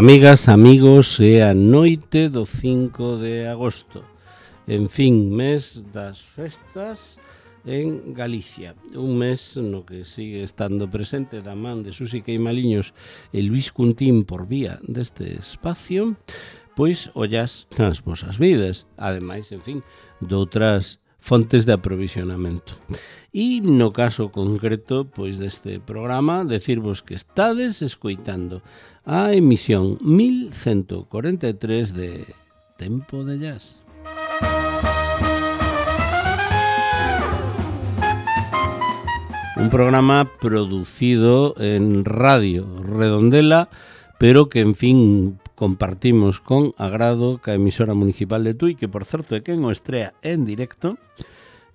Amigas, amigos, é a noite do 5 de agosto. En fin, mes das festas en Galicia. Un mes no que sigue estando presente da man de Susi Queimaliños e Luis Cuntín por vía deste espacio, pois ollas nas vosas vidas. Ademais, en fin, doutras fontes de aprovisionamento. E no caso concreto pois deste programa, decirvos que estades escoitando a emisión 1143 de Tempo de Jazz. Un programa producido en Radio Redondela, pero que, en fin, compartimos con agrado ca emisora municipal de Tui, que, por certo, é quen o estrea en directo,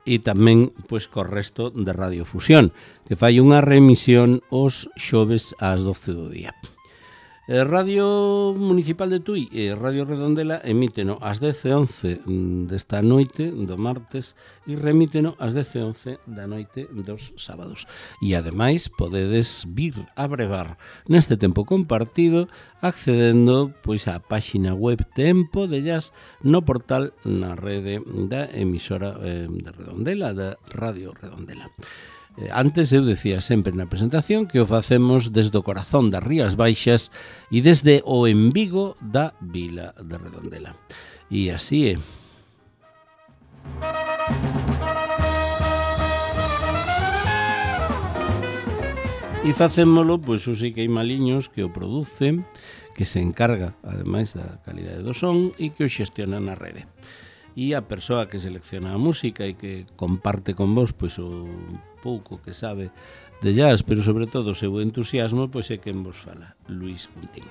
e tamén pois co resto de Radio Fusión, que fai unha remisión os xoves ás 12 do día. Radio Municipal de Tui e Radio Redondela emíteno ás 10:11 desta noite do martes e remíteno ás 10:11 da noite dos sábados. E ademais podedes vir a brevar neste tempo compartido accedendo pois á páxina web Tempo de Jazz no portal na rede da emisora de Redondela, da Radio Redondela. Antes eu decía sempre na presentación que o facemos desde o corazón das Rías Baixas e desde o embigo da vila de Redondela. E así é. E facémolo, pois, Susi Queimaliños, que o produce, que se encarga, ademais, da calidade do son e que o xestiona na rede. E a persoa que selecciona a música e que comparte con vos pois o pouco que sabe de jazz, pero sobre todo o seu entusiasmo, pois é quen vos fala, Luis Cuntín.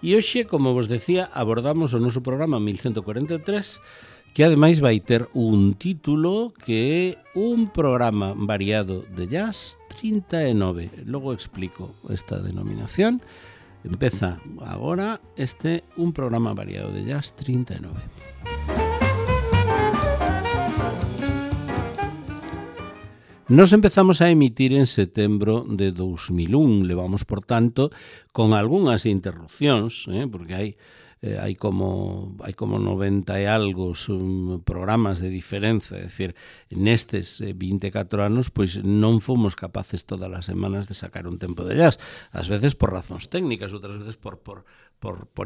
E hoxe, como vos decía, abordamos o noso programa 1143, que ademais vai ter un título que é un programa variado de jazz 39. Logo explico esta denominación. Empeza agora un programa variado de jazz 39. Nos empezamos a emitir en setembro de 2001, levamos, por tanto, con algunhas interrupcións, porque hai como 90 e algo programas de diferenza, é dicir, nestes 24 anos, pois non fomos capaces todas as semanas de sacar un tempo de jazz, ás veces por razóns técnicas, outras veces por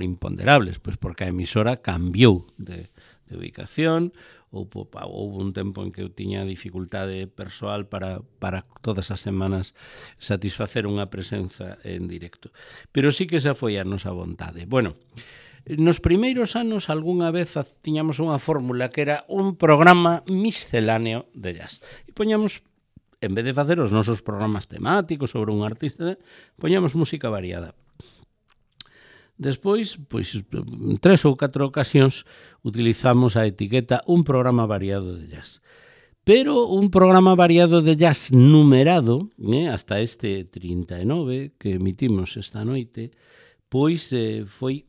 imponderables, pois porque a emisora cambiou de ubicación. Houve un tempo en que eu tiña dificultade persoal para todas as semanas satisfacer unha presenza en directo. Pero sí que esa foi a nosa vontade. Bueno, nos primeiros anos algunha vez tiñamos unha fórmula que era un programa misceláneo de jazz. E poñamos, en vez de facer os nosos programas temáticos sobre un artista, poñamos música variada. Despois, pois, 3 ou 4 ocasións utilizamos a etiqueta un programa variado de jazz. Pero un programa variado de jazz numerado, hasta este 39 que emitimos esta noite, pois foi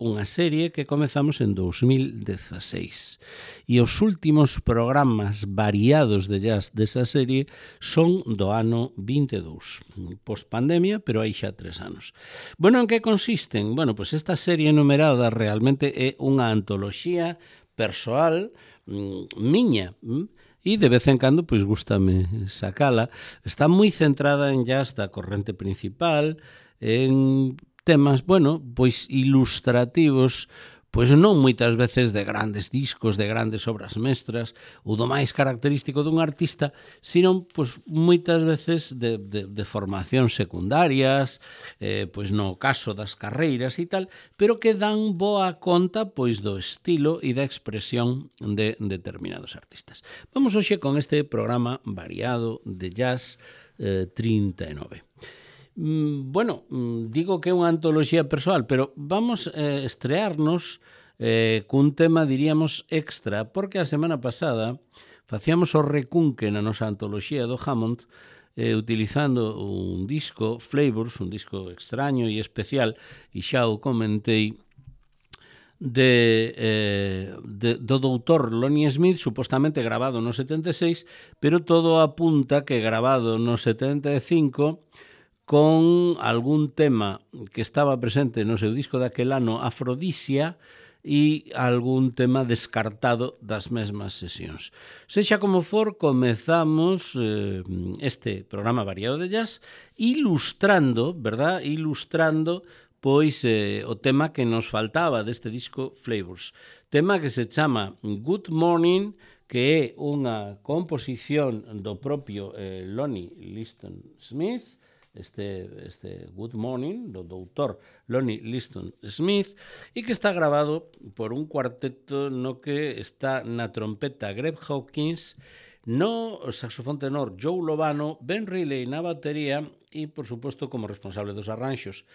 unha serie que comezamos en 2016. E os últimos programas variados de jazz desa serie son do ano 22, post-pandemia, pero hai xa 3 anos. Bueno, en que consisten? Bueno, pois esta serie numerada realmente é unha antoloxía persoal miña, e de vez en cando pois gústame sacala. Está moi centrada en jazz da corrente principal, en temas, bueno, pois ilustrativos, pois non moitas veces de grandes discos, de grandes obras mestras, ou do máis característico dun artista, sino pois moitas veces de formacións secundarias, pois no caso das carreiras e tal, pero que dan boa conta pois do estilo e da expresión de determinados artistas. Vamos hoxe con este programa variado de jazz 39. Bueno, digo que é unha antoloxía persoal, pero vamos a estrearnos cun tema, diríamos, extra, porque a semana pasada facíamos o recunque na nosa antoloxía do Hammond utilizando un disco, Flavors, un disco extraño e especial, e xa o comentei, do doutor Lonnie Smith, supostamente grabado no 76, pero todo apunta que grabado no 75 con algún tema que estaba presente no seu disco daquel ano, Afrodisia, e algún tema descartado das mesmas sesións. Sexa como for, comezamos este programa variado de jazz ilustrando, verdad? Ilustrando pois o tema que nos faltaba deste disco Flavors. Tema que se chama Good Morning, que é unha composición do propio Lonnie Liston Smith, este Good Morning, do doutor Lonnie Liston Smith, e que está grabado por un cuarteto no que está na trompeta Greg Hawkins, no saxofón tenor Joe Lovano, Ben Riley na batería e, por suposto, como responsable dos arranxos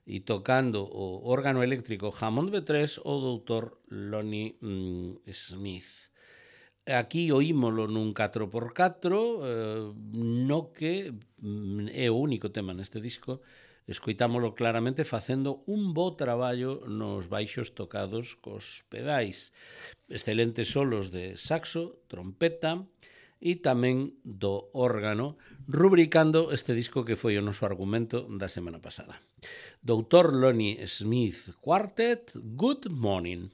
e tocando o órgano eléctrico Hammond B3, o doutor Lonnie Smith. Aquí oímolo nun 4x4, no que é o único tema neste disco, escoitámolo claramente facendo un bo traballo nos baixos tocados cos pedais. Excelentes solos de saxo, trompeta e tamén do órgano, rubricando este disco que foi o noso argumento da semana pasada. Dr. Lonnie Smith Quartet, Good Morning.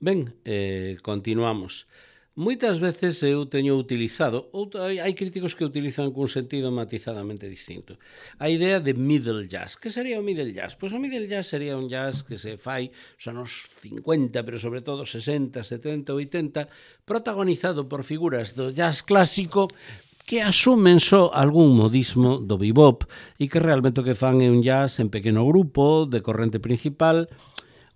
Ben, continuamos. Moitas veces eu teño utilizado, hai críticos que utilizan cun sentido matizadamente distinto, a idea de middle jazz. Que sería o middle jazz? Pois o middle jazz sería un jazz que se fai os anos 50, pero sobre todo 60, 70, 80, protagonizado por figuras do jazz clásico que asumen só algún modismo do bebop e que realmente o que fan é un jazz en pequeno grupo, de corrente principal,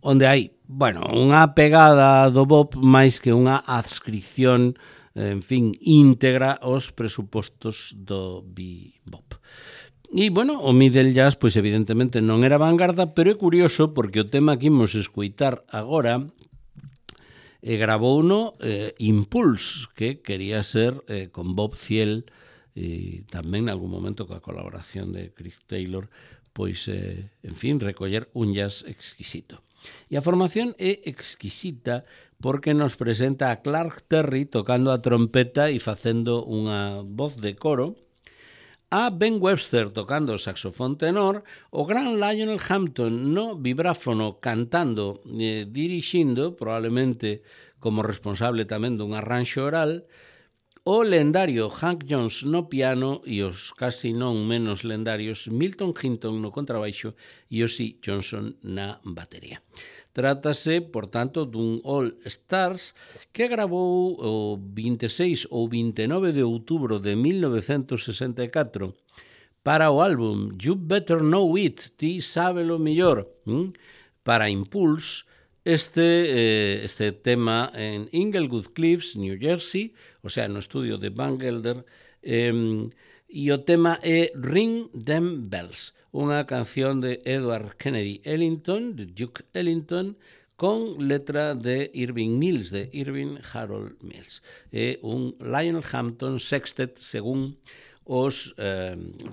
onde hai, unha pegada do bop máis que unha adscripción, íntegra aos presupostos do bebop. E, o middle jazz, pois evidentemente non era vanguarda, pero é curioso porque o tema que imos escoitar agora gravouno Impulse, que quería ser con Bob Thiel e tamén en algún momento coa colaboración de Chris Taylor, pois, recoller un jazz exquisito. E a formación é exquisita porque nos presenta a Clark Terry tocando a trompeta e facendo unha voz de coro, a Ben Webster tocando o saxofón tenor, o gran Lionel Hampton no vibráfono cantando e dirixindo, probablemente como responsable tamén dun arranxo oral, o lendario Hank Jones no piano e os casi non menos lendarios Milton Hinton no contrabaixo e Ozzy Johnson na batería. Trátase, por tanto, dun All Stars que gravou o 26 ou 29 de outubro de 1964 para o álbum You Better Know It, ti sábelo mellor, para Impulse, este tema en Inglewood Cliffs, New Jersey, o sea, no estudio de Van Gelder, e o tema é Ring Them Bells, unha canción de Edward Kennedy Ellington, de Duke Ellington, con letra de Irving Mills, de Irving Harold Mills. É un Lionel Hampton sextet, según os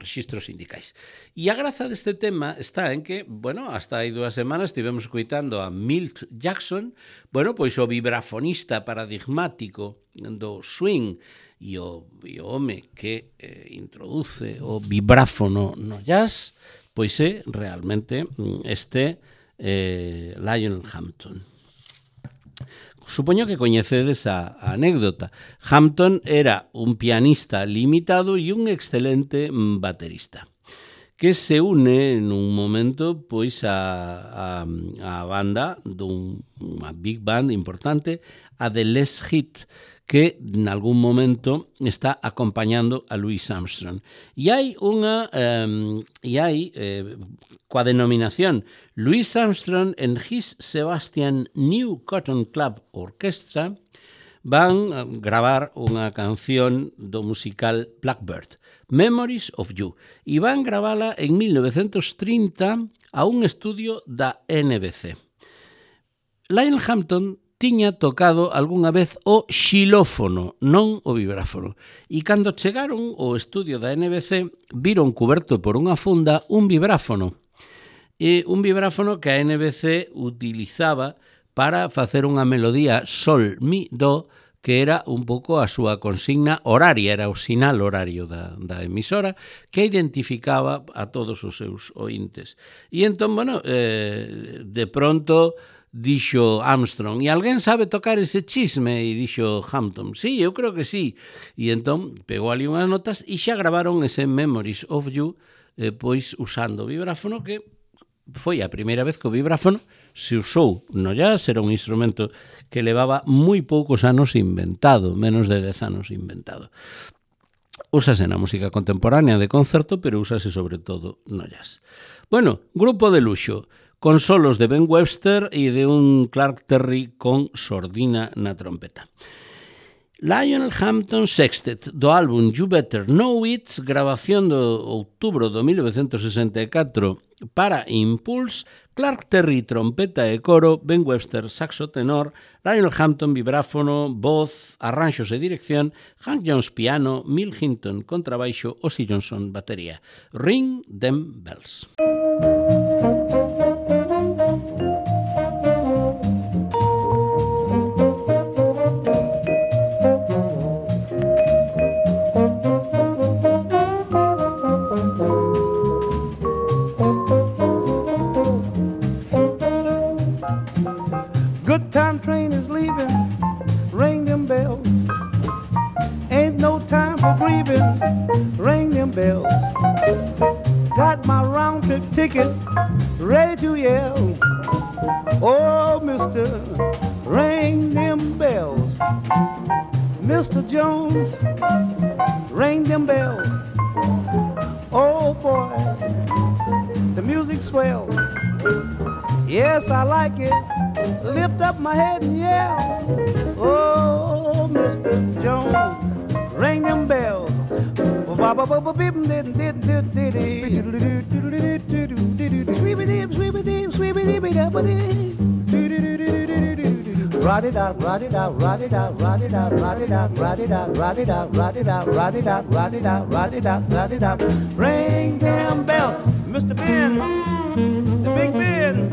registros sindicais. E a graza deste tema está en que, hasta hai 2 semanas estivemos escoitando a Milt Jackson, pois o vibrafonista paradigmático do swing e o home que introduce o vibráfono no jazz, pois é realmente este Lionel Hampton. Supoño que coñecedes a anécdota. Hampton era un pianista limitado e un excelente baterista que se une nun momento pois a banda dunha big band importante, a The Les Hit, que en algún momento está acompañando a Louis Armstrong. E hai coa denominación Louis Armstrong and His Sebastian New Cotton Club Orchestra van gravar unha canción do musical Blackbird, Memories of You, e van gravala en 1930 a un estudio da NBC. Lionel Hampton tiña tocado algunha vez o xilófono, non o vibráfono. E cando chegaron ao estudio da NBC, viron cuberto por unha funda un vibráfono. E un vibráfono que a NBC utilizaba para facer unha melodía sol, mi, do, que era un pouco a súa consigna horaria, era o sinal horario da emisora, que identificaba a todos os seus ointes. E entón, de pronto dixo Armstrong, e alguén sabe tocar ese chisme? E dixo Hampton, sí, eu creo que sí. E entón pegou ali unhas notas e xa gravaron ese Memories of You, pois usando o vibráfono, que foi a primeira vez que o vibráfono se usou no jazz. Era un instrumento que levaba moi poucos anos inventado, menos de 10 anos inventado. Úsase na música contemporánea de concerto, pero úsase sobre todo no jazz. Grupo de luxo, con solos de Ben Webster e de un Clark Terry con sordina na trompeta. Lionel Hampton Sextet, do álbum You Better Know It, grabación do outubro de 1964 para Impulse, Clark Terry trompeta e coro, Ben Webster saxo tenor, Lionel Hampton vibráfono, voz, arranxos e dirección, Hank Jones piano, Milt Hinton contrabaixo, Ozzy Johnson batería. Ring Them Bells. Good time train is bells. Got my round trip ticket ready to yell. Oh, Mr. Ring them bells. Mr. Jones, ring them bells. Oh boy, the music swell. Yes, I like it. Lift up my head and yell. Oh, Mr. Jones, ring them bells. Rod it out, rod it out, rod it out, rod it out, rod it out, rod it out, rod it out, rod it out, rod it out, rod it out, rod it out, rod it out. Ring them bells, Mr. Ben, the Big Ben.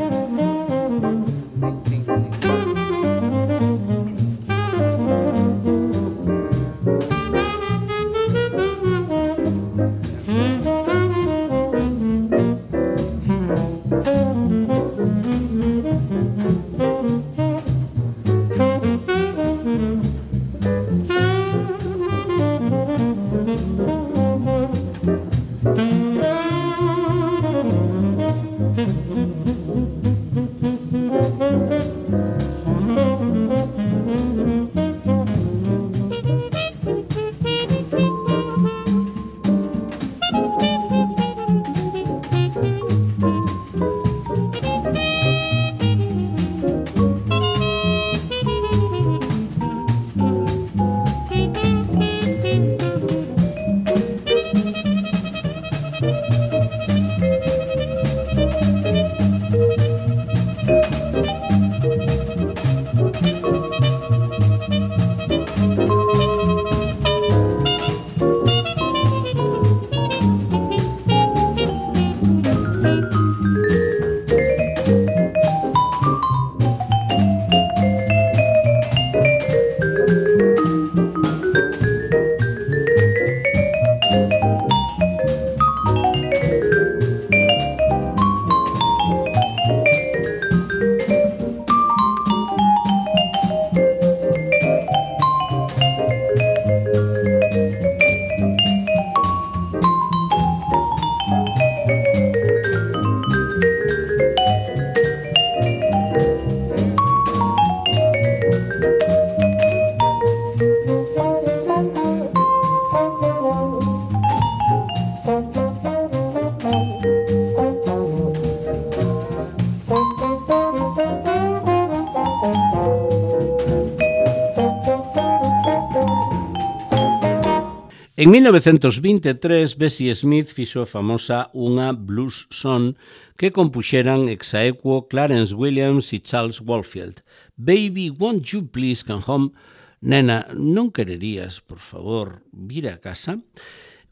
En 1923, Bessie Smith fixo famosa unha blues song que compuxeran ex aequo Clarence Williams e Charles Walfield. Baby, won't you please come home? Nena, non quererías, por favor, vir a casa?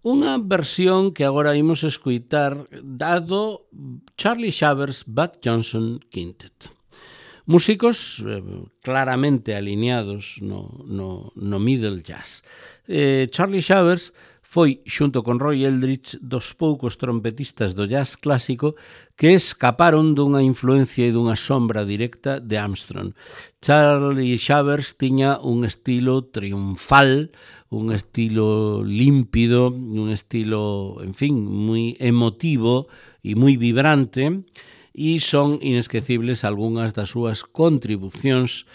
Unha versión que agora imos escoitar dado Charlie Shavers Bud Johnson Quintet. Músicos claramente alineados no middle jazz. Charlie Shavers foi, xunto con Roy Eldridge, dos poucos trompetistas do jazz clásico que escaparon dunha influencia e dunha sombra directa de Armstrong. Charlie Shavers tiña un estilo triunfal, un estilo límpido, un estilo, en fin, moi emotivo e moi vibrante, e son inesquecibles algunhas das súas contribucións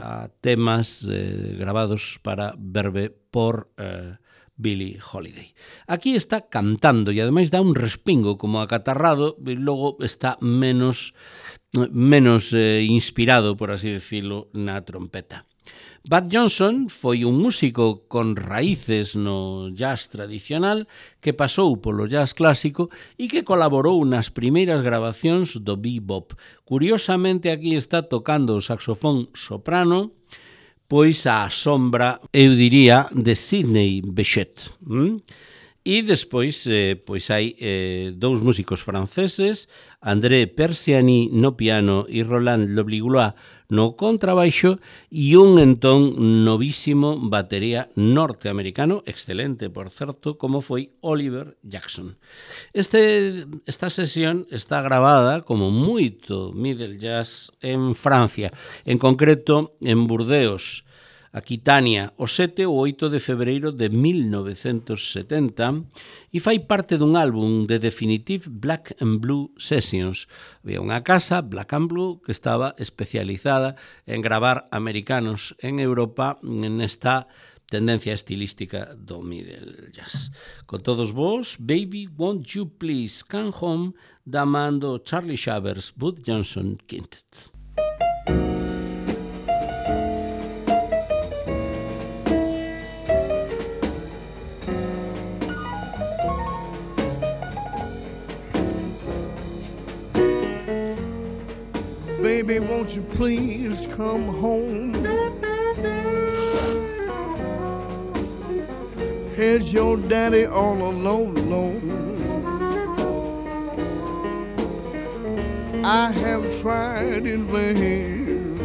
a temas gravados para Verve por Billie Holiday. Aquí está cantando e ademais dá un respingo como acatarrado e logo está menos inspirado, por así decirlo, na trompeta. Bud Johnson foi un músico con raíces no jazz tradicional que pasou polo jazz clásico e que colaborou nas primeiras grabacións do bebop. Curiosamente, aquí está tocando o saxofón soprano, pois á sombra, eu diría, de Sidney Bechet. E despois pois hai dous músicos franceses, André Persiani no piano e Roland Lobliglois no contrabaixo e un entón novísimo batería norteamericano, excelente, por certo, como foi Oliver Jackson. Esta sesión está gravada como moito middle jazz en Francia, en concreto en Burdeos. Aquitania o 7 ou 8 de febreiro de 1970 e fai parte dun álbum de Definitive Black and Blue Sessions. Había unha casa, Black and Blue, que estaba especializada en gravar americanos en Europa nesta tendencia estilística do middle jazz. Con todos vos, Baby Won't You Please Come Home, da man do Charlie Shavers Bud Johnson Quintet. Baby, won't you please come home? Here's your daddy all alone. I have tried in vain,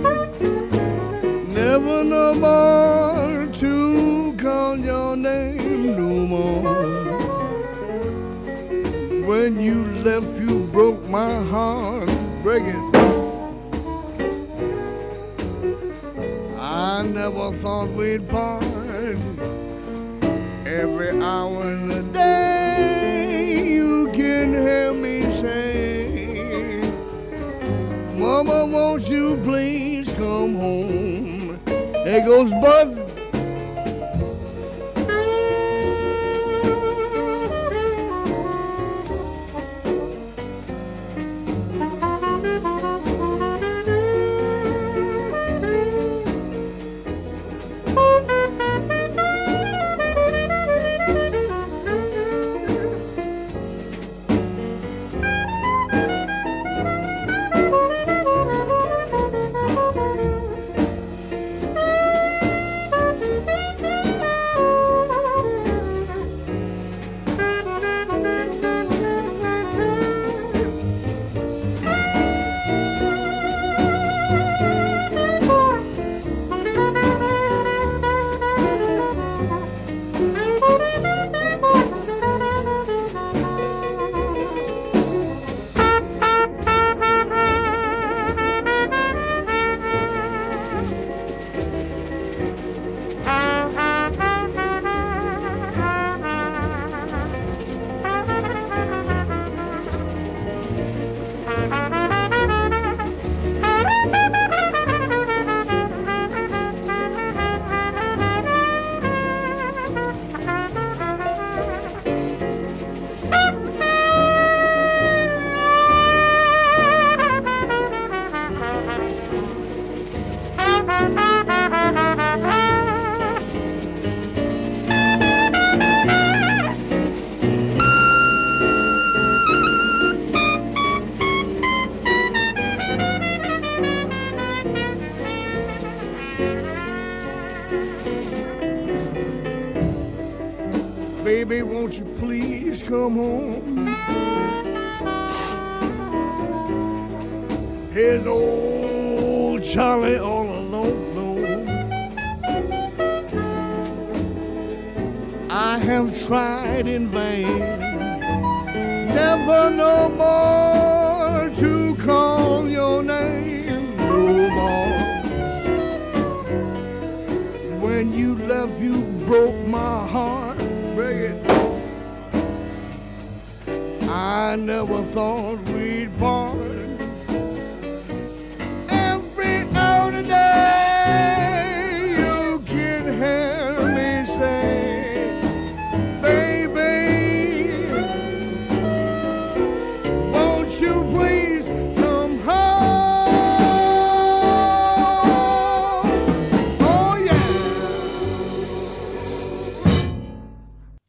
never no more to call your name no more. When you left, you broke my heart, break it. I never thought we'd part. Every hour in the day you can hear me say, Mama, won't you please come home? There goes Bud. Baby, won't you please come home? Here's old Charlie all alone. I have tried in vain, never no more to call your name no more. When you left, you broke my heart. I never thought we'd part. Every hour today you can hear me say, baby, won't you please come home? Oh yeah.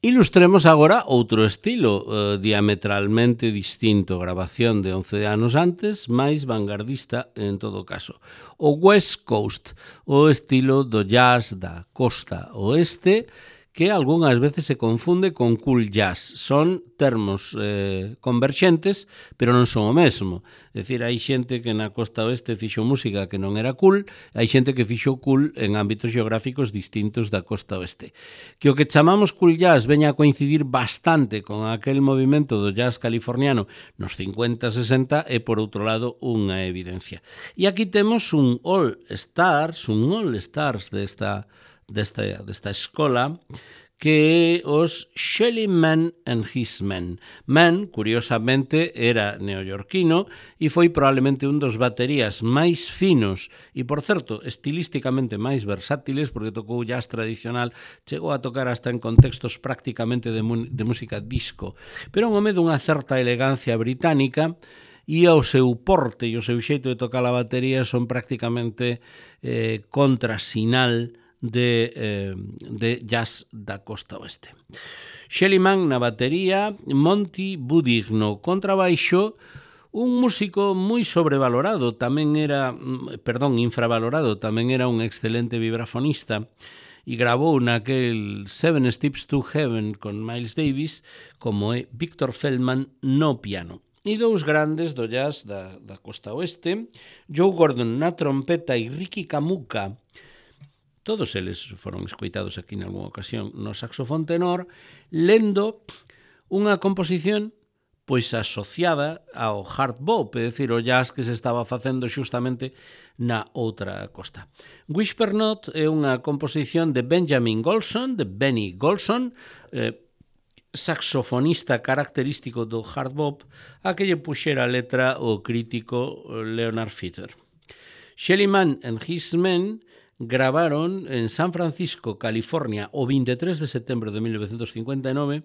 Ilustremos agora outro estilo diametralmente distinto, grabación de 11 anos antes, máis vanguardista en todo caso. O West Coast, o estilo do jazz da costa oeste, que algunhas veces se confunde con cool jazz. Son termos converxentes, pero non son o mesmo. É dicir, hai xente que na costa oeste fixo música que non era cool, hai xente que fixo cool en ámbitos geográficos distintos da costa oeste. Que o que chamamos cool jazz veña a coincidir bastante con aquel movimento do jazz californiano nos 50-60 é, por outro lado, unha evidencia. E aquí temos un all-stars desta escola, que é os Shelly Man and His Men. Man, curiosamente, era neoyorquino e foi probablemente un dos baterías máis finos e, por certo, estilísticamente máis versátiles, porque tocou jazz tradicional, chegou a tocar hasta en contextos prácticamente de música disco, pero un home dunha certa elegancia británica, e o seu porte e o seu xeito de tocar a batería son prácticamente contrasinal de jazz da costa oeste. Shelly Man na batería, Monty Budig no contrabaixo, un músico moi sobrevalorado, infravalorado, tamén era un excelente vibrafonista, e grabou naquel Seven Steps to Heaven con Miles Davis, como é Victor Feldman no piano. E dous grandes do jazz da costa oeste, Joe Gordon na trompeta e Ricky Kamuka, todos eles foron escoitados aquí en algunha ocasión, no saxofón tenor, lendo unha composición pois asociada ao hard bop, é dicir, o jazz que se estaba facendo xustamente na outra costa. Whisper Note é unha composición de Benjamin Golson, de Benny Golson, saxofonista característico do hard bop, a que lle puxera a letra o crítico Leonard Feather. Shelly Man and His Men gravaron en San Francisco, California, o 23 de setembro de 1959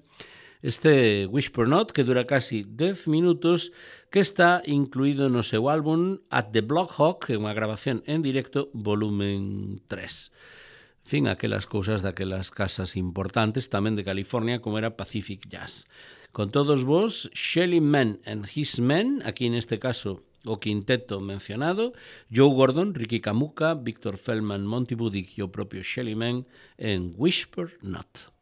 este Whisper Note, que dura casi 10 minutos, que está incluído no seu álbum At the Block Hawk, que é unha grabación en directo, volumen 3. Fin, aquelas cousas daquelas casas importantes tamén de California, como era Pacific Jazz. Con todos vos, Shelly Man and His Men, aquí neste caso o quinteto mencionado, Joe Gordon, Ricky Kamuka, Victor Feldman, Monty Budig e o propio Shelly Man en Whisper Not.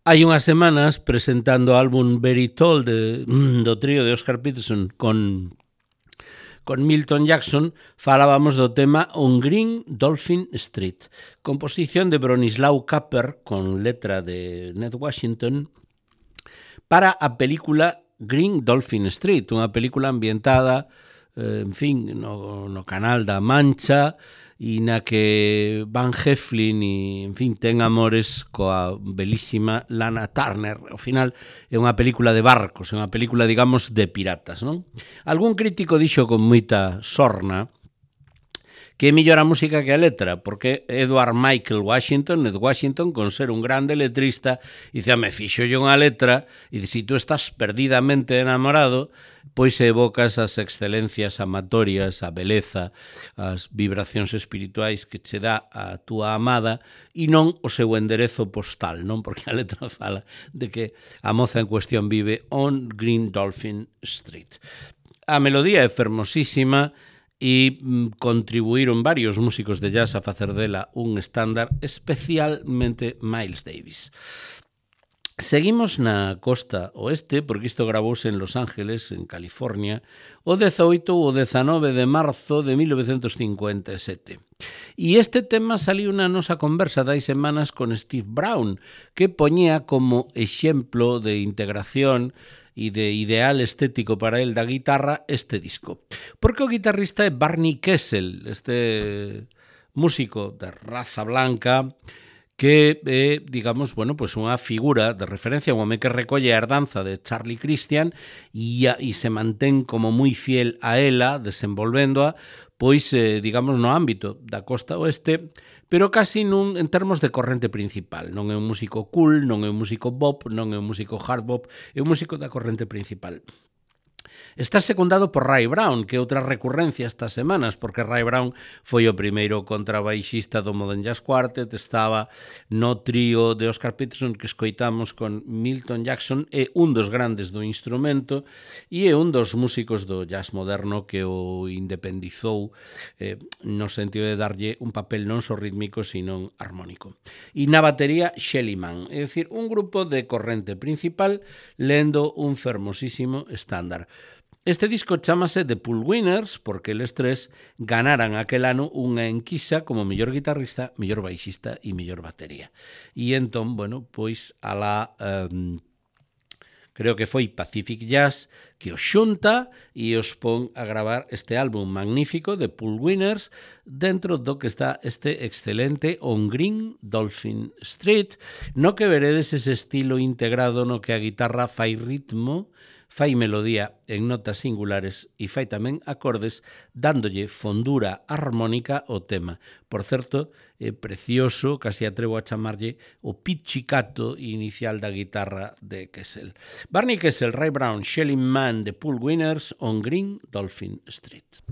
hai unhas semanas presentando o álbum Very Tall do trío de Oscar Peterson con Milton Jackson, falábamos do tema On Green Dolphin Street, composición de Bronislaw Kapper con letra de Ned Washington para a película Green Dolphin Street, unha película ambientada no Canal da Mancha e na que Van Heflin ten amores coa belísima Lana Turner. Ao final é unha película de barcos, é unha película, digamos, de piratas, non? Algún crítico dixo con moita sorna que é mellor a música que a letra, porque Edward Michael Washington, Ned Washington, con ser un grande letrista, dice, fixolle unha letra, e se tú estás perdidamente enamorado, pois evocas as excelencias amatorias, a beleza, as vibracións espirituais que che dá a túa amada, e non o seu enderezo postal, non? Porque a letra fala de que a moza en cuestión vive on Green Dolphin Street. A melodía é fermosísima, e contribuíron varios músicos de jazz a facer dela un estándar, especialmente Miles Davis. Seguimos na costa oeste, porque isto gravouse en Los Ángeles, en California, o 18 ou 19 de marzo de 1957. E este tema saliu na nosa conversa dai semanas con Steve Brown, que poñía como exemplo de integración e de ideal estético para el da guitarra este disco. Porque o guitarrista é Barney Kessel, este músico de raza blanca que é, digamos, unha figura de referencia, un home que recolle a herdanza de Charlie Christian e se mantén como moi fiel a ela, desenvolvéndoa, pois, digamos, no ámbito da costa oeste, pero casi en termos de corrente principal. Non é un músico cool, non é un músico bop, non é un músico hard bop, é un músico da corrente principal. Está secundado por Ray Brown, que é outra recurrencia estas semanas, porque Ray Brown foi o primeiro contrabaixista do Modern Jazz Quartet, estaba no trío de Oscar Peterson que escoitamos con Milton Jackson, é un dos grandes do instrumento e é un dos músicos do jazz moderno que o independizou no sentido de darlle un papel non só rítmico, sino armónico. E na batería, Shelly Manne, é dicir, un grupo de corrente principal lendo un fermosísimo estándar. Este disco chámase The Pool Winners porque eles tres ganaran aquel ano unha enquisa como mellor guitarrista, mellor baixista e mellor batería. E entón, pois alá creo que foi Pacific Jazz que os xunta e os pon a gravar este álbum magnífico de Pool Winners dentro do que está este excelente On Green Dolphin Street, no que veredes ese estilo integrado no que a guitarra fai ritmo, fai melodía en notas singulares e fai tamén acordes dándolle fondura armónica ao tema. Por certo, é precioso, casi atrevo a chamarlle o pizzicato inicial da guitarra de Kessel. Barney Kessel, Ray Brown, Shelly Manne de Pool Winners on Green Dolphin Street.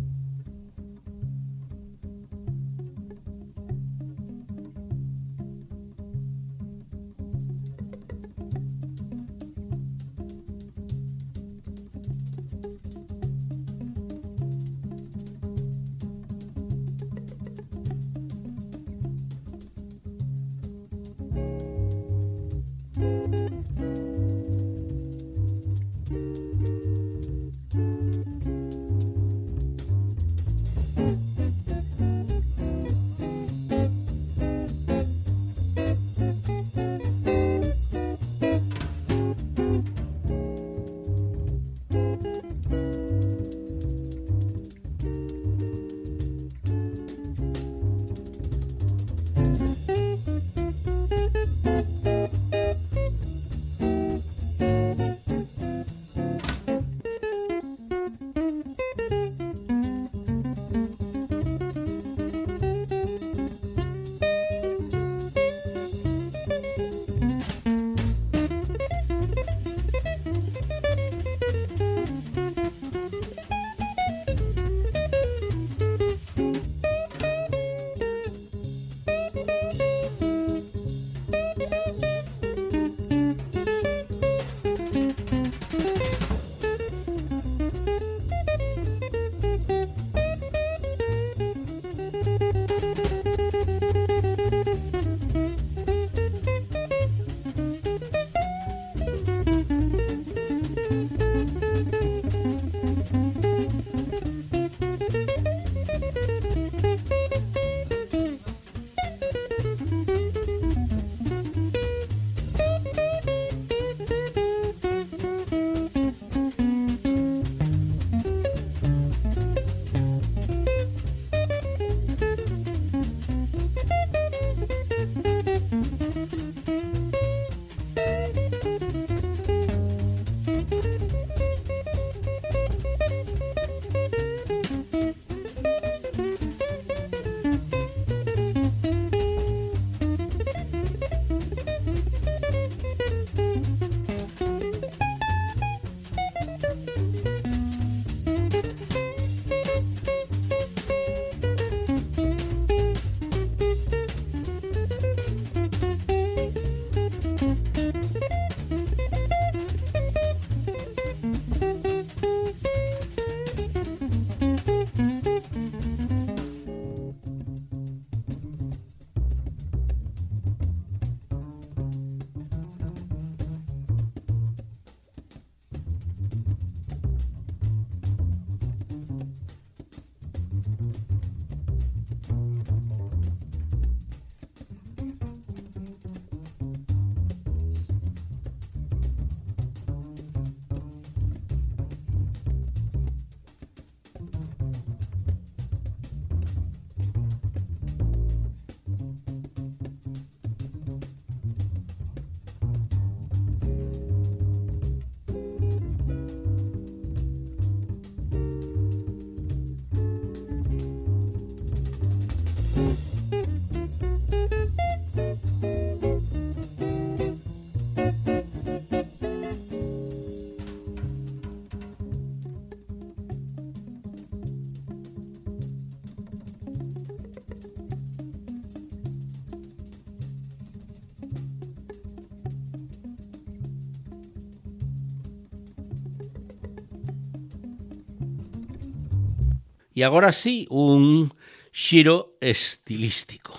E agora sí, un xiro estilístico.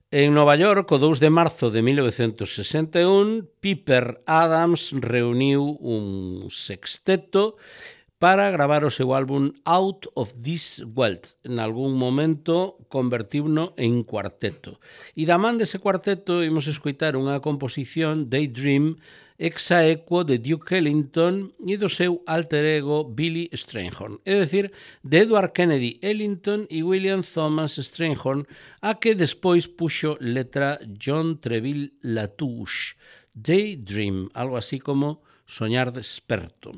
En Nova York, o 2 de marzo de 1961, Piper Adams reuniu un sexteto para gravar o seu álbum Out of This World. En algún momento convertiuno en cuarteto. E da man dese cuarteto imos escoitar unha composición, Daydream, exaequo de Duke Ellington e do seu alter ego Billy Strayhorn, é dicir, de Edward Kennedy Ellington e William Thomas Strayhorn, a que despois puxo letra John Treville Latouche. Daydream, algo así como soñar desperto.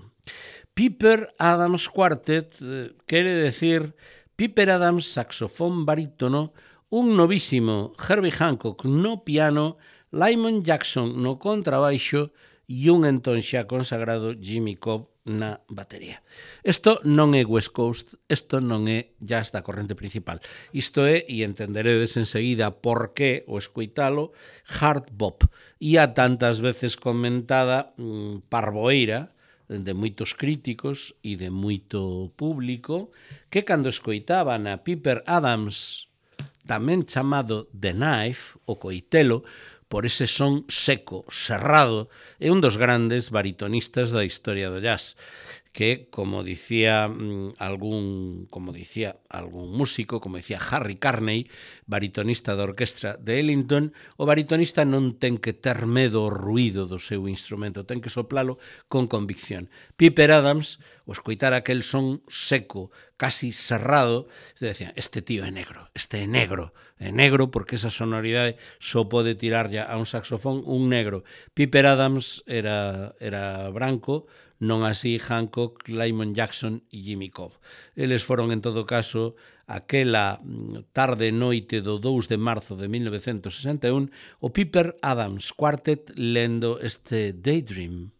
Piper Adams Quartet quere decir Piper Adams saxofón barítono, un novísimo Herbie Hancock no piano, Lyman Jackson no contrabaixo e un entón xa consagrado Jimmy Cobb na batería. Isto non é West Coast, isto non é jazz da corrente principal. Isto é, e entenderedes enseguida por que o escoitalo, hard bop. E a tantas veces comentada parboeira de moitos críticos e de moito público que cando escoitaban a Piper Adams, tamén chamado The Knife, o coitelo, por ese son seco, serrado, é un dos grandes baritonistas da historia do jazz, que, como dicía algún músico, como dicía Harry Carney, baritonista da orquestra de Ellington, o baritonista non ten que ter medo ao ruído do seu instrumento, ten que soplalo con convicción. Piper Adams, o escoitar aquel son seco, casi serrado, decían, este tío é negro, este é negro porque esa sonoridade só pode tirar ya a un saxofón un negro. Piper Adams era branco, non así Hancock, Lyman Jackson e Jimmy Cobb. Eles foron, en todo caso, aquela tarde noite do 2 de marzo de 1961, o Piper Adams Quartet lendo este Daydream.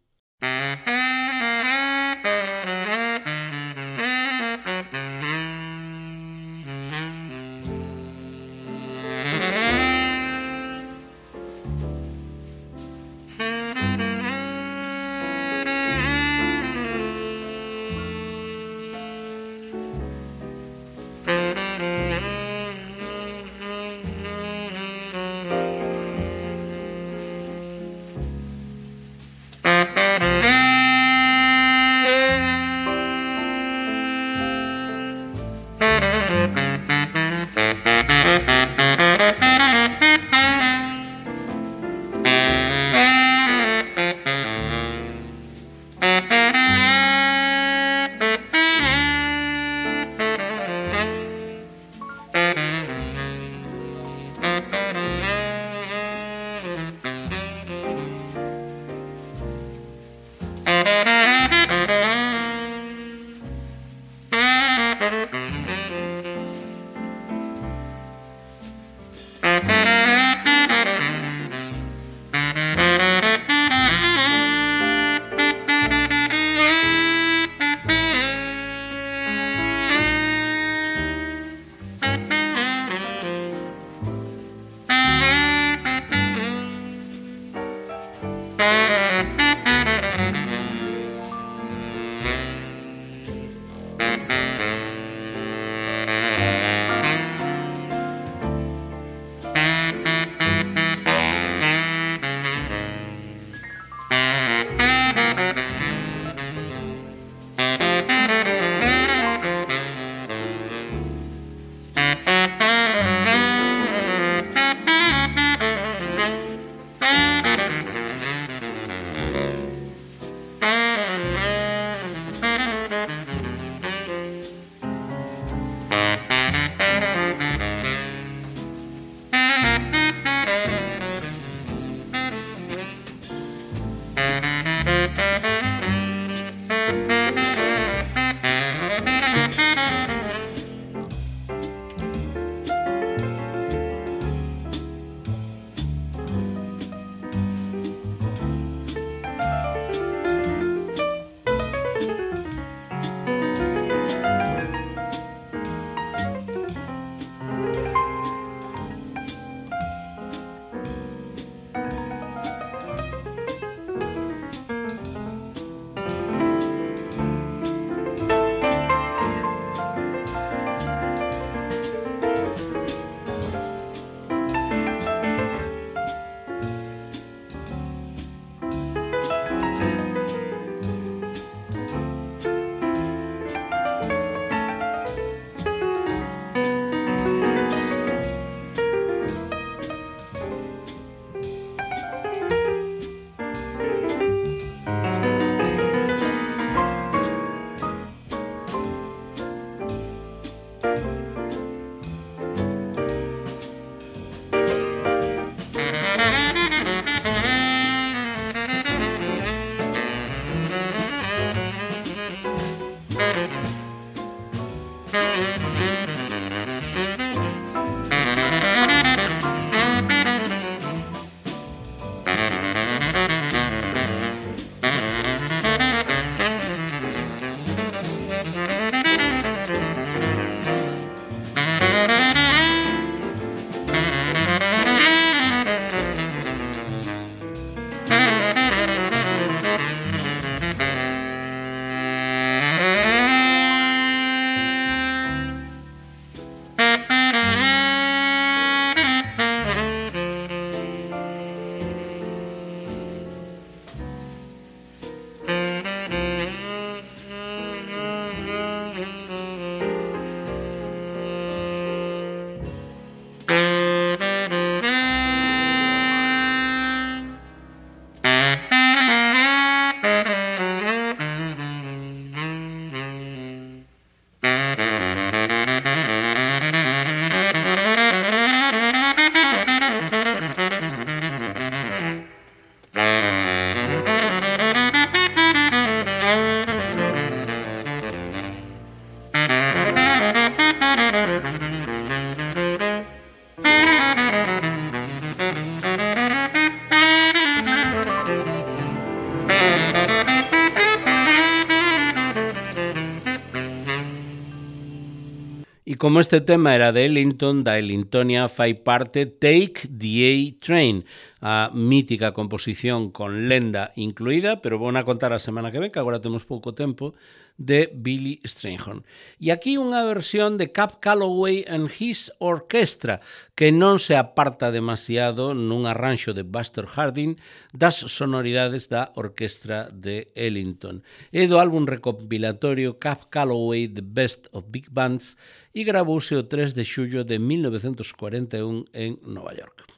como este tema era de Ellington, da Ellingtonia fai parte Take the A-Train, a mítica composición con lenda incluída, pero vou a contar a semana que ven, que agora temos pouco tempo, de Billy Strayhorn. E aquí unha versión de Cab Calloway and His Orchestra, que non se aparta demasiado nun arranxo de Buster Harding das sonoridades da orquestra de Ellington. É do álbum recopilatorio Cab Calloway The Best of Big Bands e gravouse o 3 de xullo de 1941 en Nova York.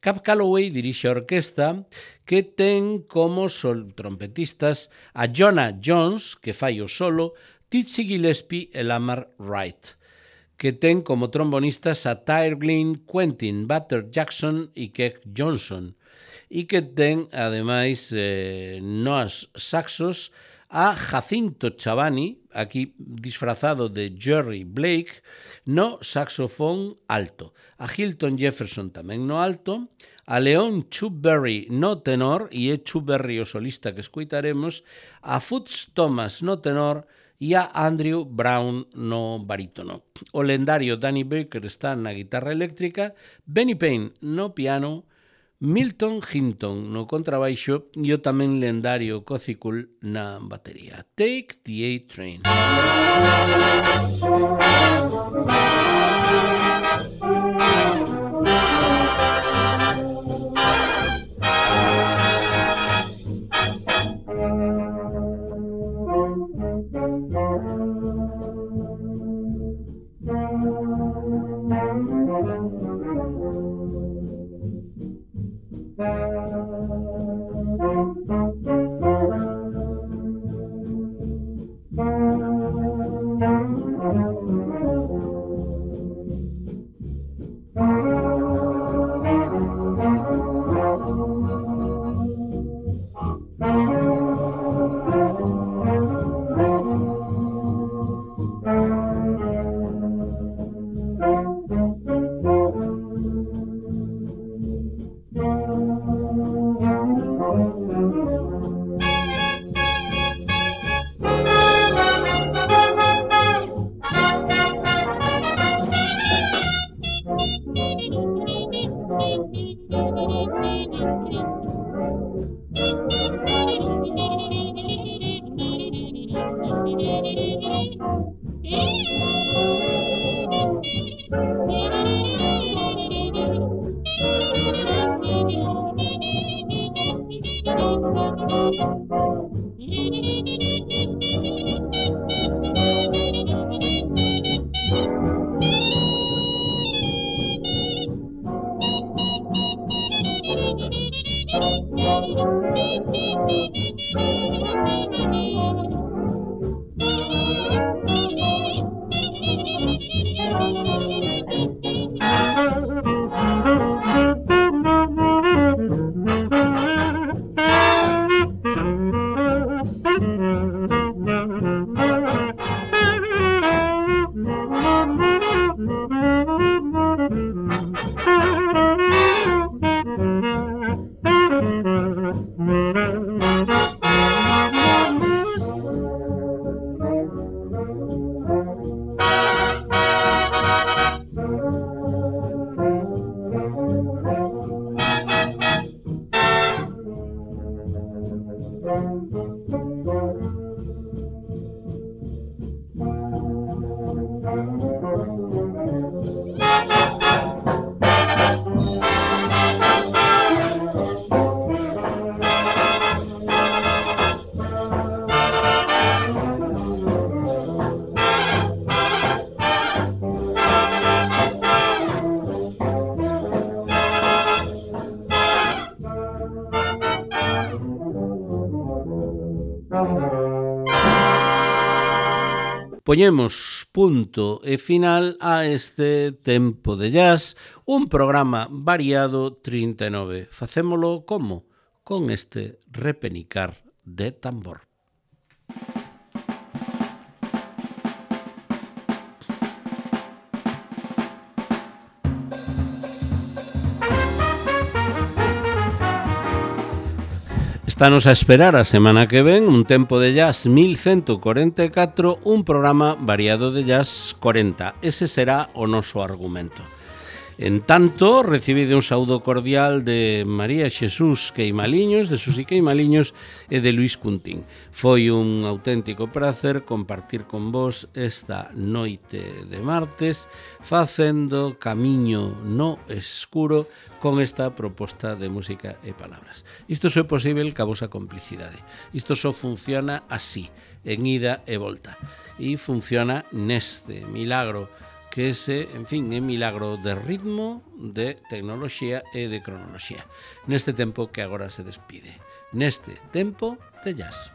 Cab Calloway dirixe a orquesta que ten como trompetistas a Jonah Jones, que fai o solo, Dizzy Gillespie e Lamar Wright, que ten como trombonistas a Tyre Glynn, Quentin Butter Jackson e Keck Johnson, e que ten, ademais, nos saxos a Jacinto Chavani, aquí disfrazado de Jerry Blake, no saxofón alto, a Hilton Jefferson tamén no alto, a Leon Chuberry no tenor, e é Chuberry o solista que escoitaremos, a Foots Thomas no tenor e a Andrew Brown no barítono. O lendario Danny Baker está na guitarra eléctrica, Benny Payne no piano, Milton Hinton no contrabaixo e o tamén lendario Cozy Cool na batería. Take the A-Train. Poñemos punto e final a este Tempo de Jazz, un programa variado 39. Facémolo como? Con este repenicar de tambor. Estános a esperar a semana que ven un tempo de jazz 1144, un programa variado de jazz 40. Ese será o noso argumento. En tanto, recibide un saúdo cordial de María Xesús Queimaliños, de Susi Queimaliños e de Luís Cuntín. Foi un auténtico prazer compartir con vos esta noite de martes, facendo camiño no escuro con esta proposta de música e palabras. Isto só é posible ca vosa complicidade. Isto só funciona así, en ida e volta. E funciona neste milagro que ese, en fin, é milagro de ritmo, de tecnoloxía e de cronoloxía. Neste tempo que agora se despide. Neste tempo de jazz.